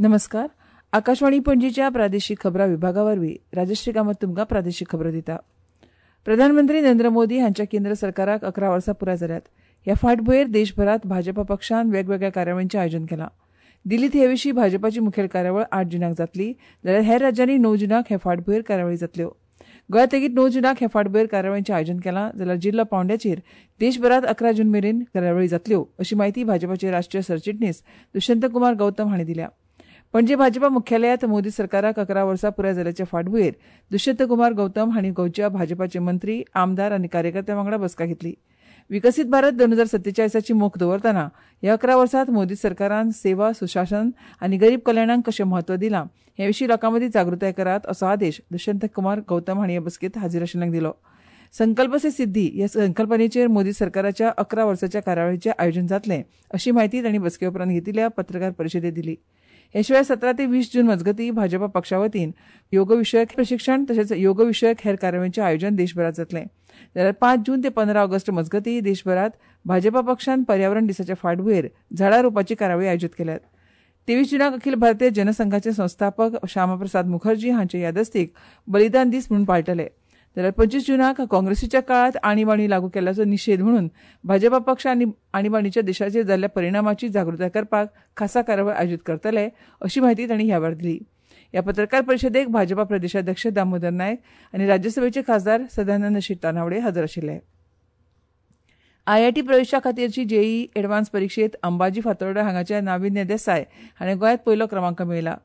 नमस्कार. आकाशवाणी पणजीच्या प्रादेशिक खबरां विभागा वरवीं राजश्री कामत तुमकां प्रादेशिक खबरो दिता. प्रधानमंत्री नरेंद्र मोदी हांच्या केंद्र सरकाराक 11 वर्सां पुराय जाल्यात. ह्या फाटभुंयेर देशभरांत भाजपा पक्षान वेगवेगळ्या कार्यावळींचें आयोजन केलां. दिल्लींत हे विशीं भाजपाची मुखेल कार्यावळ 8 जुनाक जातली, जाल्यार हेर राज्यांनी 9 जुनाक हे फाटभुंयेर कार्यावळी जातल्यो. गोंयांत लेगीत 9 जुनाक हे फाटभुंयेर कार्यावळींचें आयोजन केलां, जाल्यार जिल्लो पांवड्याचेर देशभरांत 11 जून मेरेन कार्यावळी जातल्यो, अशी म्हायती भाजपाचे राष्ट्रीय सरचिटणीस दुष्यंत कुमार गौतम हांणी दिल्या. पणजे भाजपा मुख्यालयांत मोदी सरकाराक 11 वर्सां पुराय जाल्याचे फाटभुंयेर दुष्यंत कुमार गौतम हांणी गोंयच्या भाजपाचे मंत्री, आमदार आनी कार्यकर्त्यां वांगडा बसका घेतली. विकसीत भारत 2047ची मोख दवरतना ह्या 11 वर्सांत मोदी सरकारान सेवा, सुशासन आनी गरीब कल्याणाक कशें म्हत्व दिलां हे विशीं लोकां मदीं जागृताय करात असो आदेश दुष्यंत कुमार गौतम हांणी हे बसकेंत हाजीर आशिल्ल्यांक दिलो. संकल्प से सिद्धी ह्या संकल्पनेचेर मोदी सरकाराच्या 11 वर्साच्या कार्यावळीचें आयोजन जातलें अशी म्हायती तांणी बसके उपरांत घेतिल्ल्या पत्रकार परिशदेंत दिली. हे शिवाय 17 ते 20 जून मजगतीं भाजपा पक्षा वतीन योगविशयक प्रशिक्षण तशेंच योगविशयक हेर कार्यावळींचें आयोजन देशभरांत जातलें. जाल्यार 5 जून ते 15 ऑगस्ट मजगतीं देशभरांत भाजपा पक्षान पर्यावरण दिसाच्या फाटभुंयेर झाडां रोवपाची कार्यावळी आयोजीत केल्यात. 23 जुनाक अखिल भारतीय जनसंघाचे संस्थापक श्यामाप्रसाद मुखर्जी हांचे यादस्तीक बलिदान दीस म्हणून पाळटले. जाल्यार 25 जुनाक काँग्रेसीच्या काळांत आणीबाणी लागू केल्ल्याचो निशेध म्हणून भाजपा पक्ष आनी आणीबाणीच्या देशाचेर जाल्ल्या परिणामाची जागृताय करपाक खासा कार्यावळ आयोजीत करतले अशी म्हायती तांणी ह्या वेळार दिली. ह्या पत्रकार परिशदेक भाजपा प्रदेशाध्यक्ष दामोदर नायक आनी राज्यसभेचे खासदार सदानंद शेट तानावडे हजर आशिल्ले. आयआयटी प्रवेशा खातीरची जेईई एडवान्स परिक्षेत अंबाजी फातोर्डा हांगाच्या नाविन्य देसाय हाणें गोंयांत पयलो क्रमांक मेळयला.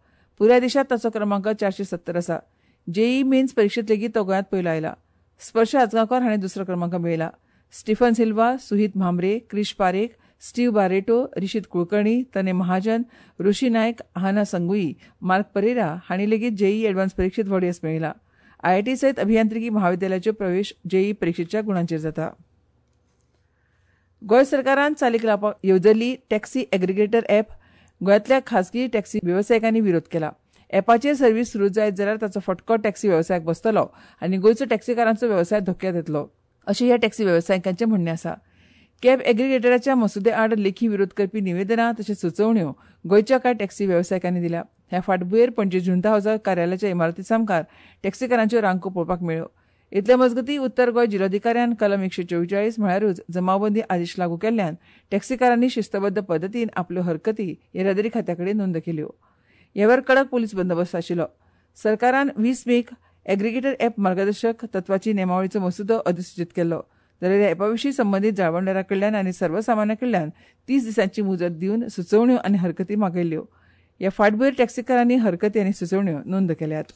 पुराय देशांत ताचो क्रमांक 470 आसा. जेईई मेन्स परिक्षेत लेगीत तो गोंयांत पयलो आयला. स्पर्श आजगांवकार हाणें दुसरो क्रमांक मेळयला. Stephen Silva, Suhit Mhambre, Krish Parekh, Steve Barreto, Rishit Kulkarni, Tanay Mahajan, Rishi Naik, Ahana Sangui, Mark Pereira हांणी लेगीत जेईई एडवान्स परिक्षेत व्हड येस मेळयला. आयआयटी सयत अभियांत्रिकी महाविद्यालयाच्यो प्रवेश जेईई परिक्षेच्या गुणांचेर जाता. गोंय सरकारान चालीक लावपाक येवजल्ली टॅक्सी एग्रिगेटर ॲप गोंयांतल्या खासगी टॅक्सी वेवसायिकांनी विरोध केला. ॲपाचेर सर्वीस सुरू जायत जाल्यार ताचो फटको टॅक्सी वेवसायाक बसतलो आनी गोंयचो टॅक्सीकारांचो वेवसाय धोक्यांत येतलो अशें ह्या टॅक्सी वेवसायिकांचें म्हणणें आसा. कॅब एग्रिगेटराच्या मसुदे आड लेखी विरोध करपी निवेदनां तशेंच सुचोवण्यो गोंयच्या कांय टॅक्सी वेवसायिकांनी दिल्या. ह्या फाटभुंयेर पणजे जुंता हावसा कार्यालयाच्या इमारती सामकार टॅक्सीकारांच्यो रांको पळोवपाक मेळ्ळ्यो. इतले मजगतीं उत्तर गोंय जिल्लोधिकाऱ्यान कलम 144 म्हळ्यारूच जमावबंदी आदेश लागू केल्ल्यान टॅक्सीकारांनी शिस्तबद्ध पद्दतीन आपल्यो हरकती येरादारी खात्या कडेन नोंद केल्यो. ह्या वेळार कडक पोलीस बंदोबस्त आशिल्लो. सरकारान 20 मेक एग्रिगेटर ॲप मार्गदर्शक तत्वाची नेमावळीचो मसुदो अधिसूचीत केल्लो. जाल्यार ह्या ॲपा विशीं संबंदीत जाळवणदारा कडल्यान आनी सर्वसामान्या कडल्यान 30 दिसांची मुजत दिवन सुचोवण्यो आनी हरकती मागयल्ल्यो. ह्या फाटभुंयेर टॅक्सीकारांनी हरकती आनी सुचोवण्यो नोंद केल्यात.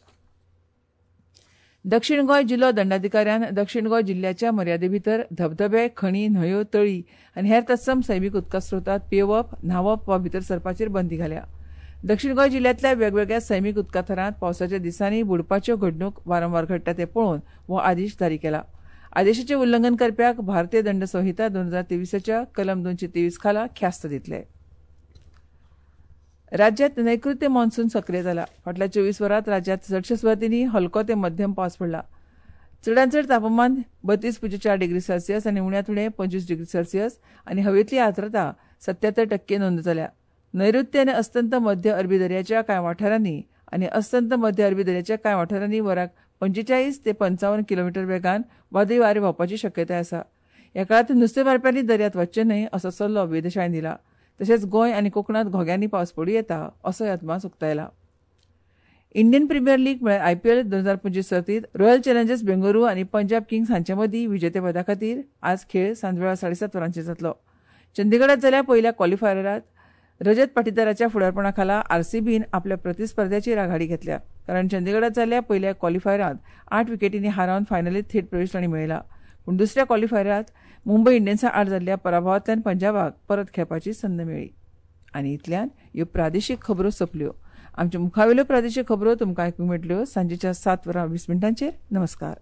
दक्षिण गोंय जिल्लो दंडाधिकाऱ्यान दक्षिण गोंय जिल्ल्याच्या मर्यादे भितर धबधबे, खणी, न्हंयो, तळी आनी हेर तत्सम सैमीक उदका स्रोतांत पियेवप, न्हांवप वा भितर सरपाचेर बंदी घाल्या. दक्षिण गोंय जिल्ल्यांतल्या वेगवेगळ्या सैमीक उदका थरांत पावसाच्या दिसांनी बुडपाच्यो घडणूक वारंवार घडटा तें पळोवन हो आदेश जारी केला. आदेशाचें उल्लंघन करप्याक भारतीय दंड संहिता 2023च्या कलम 223 खाला ख्यास्त दितले. राज्यांत नैऋत्य मॉन्सून सक्रीय जाला. फाटल्या 24 वरांत राज्यांत चडश्या सुवातींनी हलको ते मध्यम पावस पडला. चडांत चड तापमान 32.4 डिग्री सेल्सियस आनी उण्यांत उणें 25 डिग्री सेल्सियस आनी हवेंतली आर्द्रता 77% नोंद जाल्या. नैऋत्य आनी अस्तंत मध्य अरबी दर्याच्या कांय वाठारांनी आनी अस्तंत मध्य अरबी दर्याच्या कांय वाठारांनी वराक 45 ते 55 किलोमिटर वेगान वादळी वारें व्हांवपाची शक्यताय आसा. ह्या काळांत नुस्तें मारप्यांनी दर्यांत वचचें न्हय असो सल्लो वेधशाळेन दिला. तशेंच गोंय आनी कोकणांत घोग्यांनी पावस पडूं येता असोय अदमास उक्तायला. इंडियन प्रिमियर लीग म्हळ्यार आयपीएल 2025 सर्तींत रॉयल चॅलेंजर्स बेंगळुरू आनी पंजाब किंग्स हांचे मदीं विजेतेपदा खातीर आज खेळ सांजवेळा 7:30 वरांचेर जातलो. चंदीगडात जाल्या पयल्या क्वॉलिफायरांत रजत पाटीदाराच्या फुडारपणा खाला आरसीबीन आपल्या प्रतिस्पर्ध्याचेर आघाडी घेतल्या. कारण चंदीगडात जाल्ल्या पयल्या क्वॉलिफायरांत 8 विकेटींनी हारावन फायनलीत थेट प्रवेश तांणी मेळयला. पूण दुसऱ्या क्वॉलिफायरांत मुंबय इंडियन्सा आड जाल्ल्या पराभवांतल्यान पंजाबाक परत खेळपाची संद मेळ्ळी. आनी इतल्यान ह्यो प्रादेशीक खबरो सोंपल्यो. आमच्या मुखावेल्यो प्रादेशीक खबरो तुमकां आयकूंक मेळटल्यो सांजेच्या 7:20. नमस्कार.